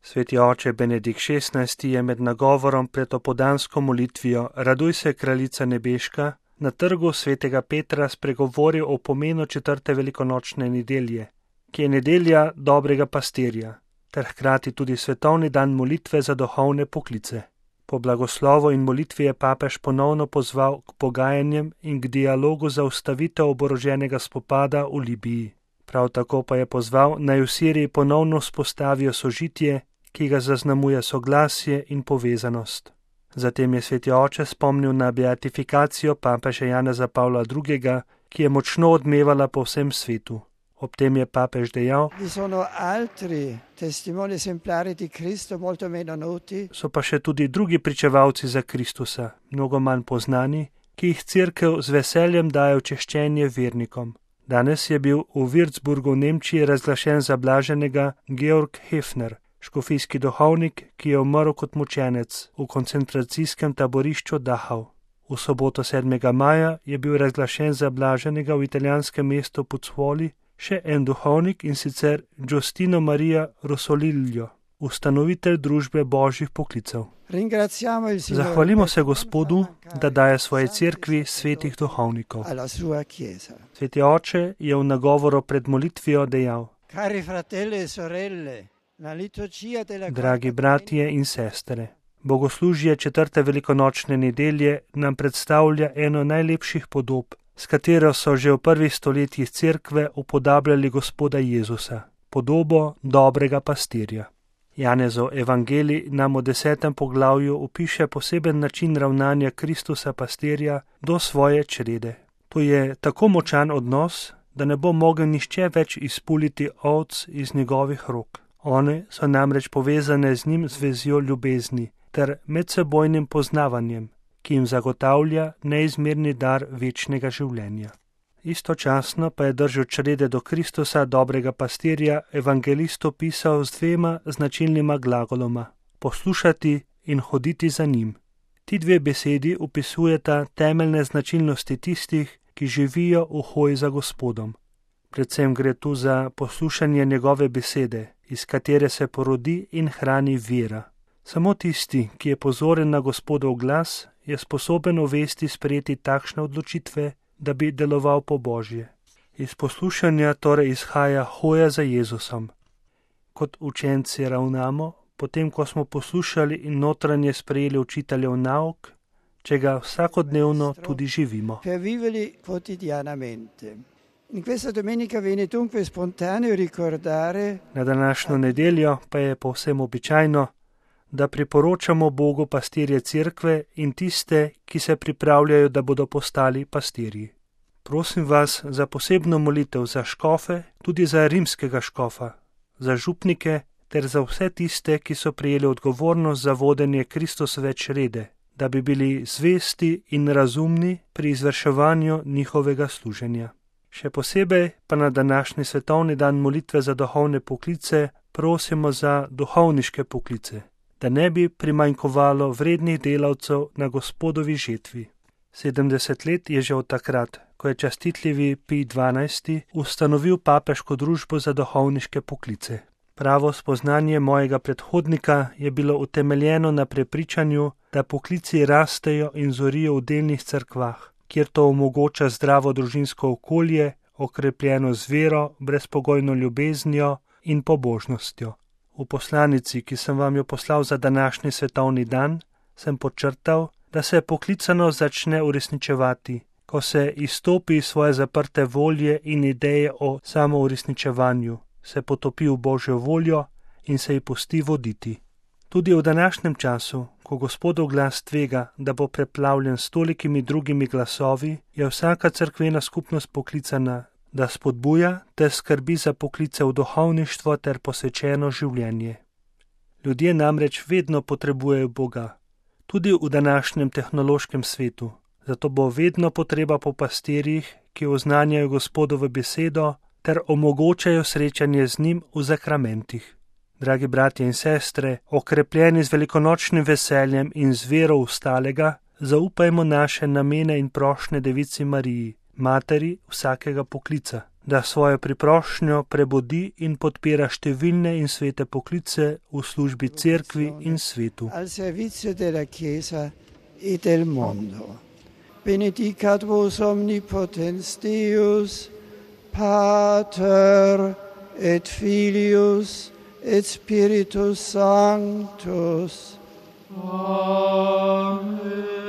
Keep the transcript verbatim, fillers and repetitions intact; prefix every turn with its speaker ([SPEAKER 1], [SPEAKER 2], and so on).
[SPEAKER 1] Sveti oče Benedikt šestnajsti je med nagovorom pred opoldansko molitvijo Raduj se, kraljica nebeška, na trgu svetega Petra spregovoril o pomenu četrte velikonočne nedelje, ki je nedelja dobrega pastirja, ter hkrati tudi svetovni dan molitve za duhovne poklice. Po blagoslovu in molitvi je papež ponovno pozval k pogajanjem in k dialogu za ustavitev oboroženega spopada v Libiji. Prav tako pa je pozval, naj v Siriji ponovno vzpostavijo sožitje, ki ga zaznamuje soglasje in povezanost. Zatem je sveti oče spomnil na beatifikacijo papeža Janeza Pavla drugega, ki je močno odmevala po vsem svetu. Ob tem je papež dejal, so pa še tudi drugi pričevalci za Kristusa, mnogo manj poznani, ki jih cerkev z veseljem daje v češčenje vernikom. Danes je bil v Würzburgu v Nemčiji razglašen za blaženega Georg Hefner, škofijski duhovnik, ki je umrl kot mučenec v koncentracijskem taborišču Dachau. V soboto sedmega maja je bil razglašen za blaženega v italijanskem mestu Pozzuoli še en duhovnik, in sicer Giustino Maria Rossolillo, ustanovitelj družbe božjih poklicev. Zahvalimo se Gospodu, da daje svoji cerkvi svetih duhovnikov. Sveti oče je v nagovoru pred molitvijo dejal, dragi bratje in sestre, bogoslužje četrte velikonočne nedelje nam predstavlja eno najlepših podob, s katero so že v prvih stoletjih cerkve upodabljali Gospoda Jezusa, podobo dobrega pastirja. Janezov evangelij nam v desetem poglavju opiše poseben način ravnanja Kristusa pastirja do svoje črede. To je tako močan odnos, da ne bo mogel nihče več izpuliti ovc iz njegovih rok. One so namreč povezane z njim z vezjo ljubezni ter medsebojnim poznavanjem, ki jim zagotavlja neizmerni dar večnega življenja. Istočasno pa je držal črede do Kristusa, dobrega pastirja, evangelist opisal z dvema značilnima glagoloma: poslušati in hoditi za njim. Ti dve besedi opisujeta temeljne značilnosti tistih, ki živijo v hoji za Gospodom. Predvsem gre tu za poslušanje njegove besede, iz katere se porodi in hrani vera. Samo tisti, ki je pozoren na Gospodov glas, je sposoben v vesti sprejeti takšne odločitve, da bi deloval po Božje. Iz poslušanja torej izhaja hoja za Jezusom. Kot učenci ravnamo, potem ko smo poslušali in notranje sprejeli učiteljev nauk, če ga vsakodnevno tudi živimo. Na današnjo nedeljo pa je povsem običajno, da priporočamo Bogu pastirje cerkve in tiste, ki se pripravljajo, da bodo postali pastirji. Prosim vas za posebno molitev za škofe, tudi za rimskega škofa, za župnike ter za vse tiste, ki so prejeli odgovornost za vodenje Kristusove črede, da bi bili zvesti in razumni pri izvrševanju njihovega služenja. Še posebej pa na današnji svetovni dan molitve za duhovne poklice prosimo za duhovniške poklice, da ne bi primanjkovalo vrednih delavcev na Gospodovi žetvi. sedemdeset let je že od takrat, ko je častitljivi Pij dvanajsti ustanovil papeško družbo za duhovniške poklice. Pravo spoznanje mojega predhodnika je bilo utemeljeno na prepričanju, da poklici rastejo in zorijo v delnih cerkvah, kjer to omogoča zdravo družinsko okolje, okrepljeno z vero, brezpogojno ljubeznijo in pobožnostjo. V poslanici, ki sem vam jo poslal za današnji svetovni dan, sem podčrtal, da se poklicano začne uresničevati, ko se izstopi iz svoje zaprte volje in ideje o samouresničevanju, se potopi v Božjo voljo in se ji pusti voditi. Tudi v današnjem času, ko Gospodov glas tvega, da bo preplavljen s tolikimi drugimi glasovi, je vsaka cerkvena skupnost poklicana, da spodbuja ter skrbi za poklice v duhovništvo ter posvečeno življenje. Ljudje namreč vedno potrebujejo Boga, tudi v današnjem tehnološkem svetu, zato bo vedno potreba po pastirjih, ki oznanjajo Gospodovo besedo ter omogočajo srečanje z njim v zakramentih. Dragi bratje in sestre, okrepljeni z velikonočnim veseljem in z vero v stalega, zaupajmo naše namene in prošnje Devici Mariji, materi vsakega poklica, da svojo priprošnjo prebudi in podpira številne in svete poklice v službi cerkvi in svetu.
[SPEAKER 2] Al servizio della Chiesa e del mondo. Benedicat vos omnipotens Deus, Pater et Filius et Spiritus Sanctus. Amen.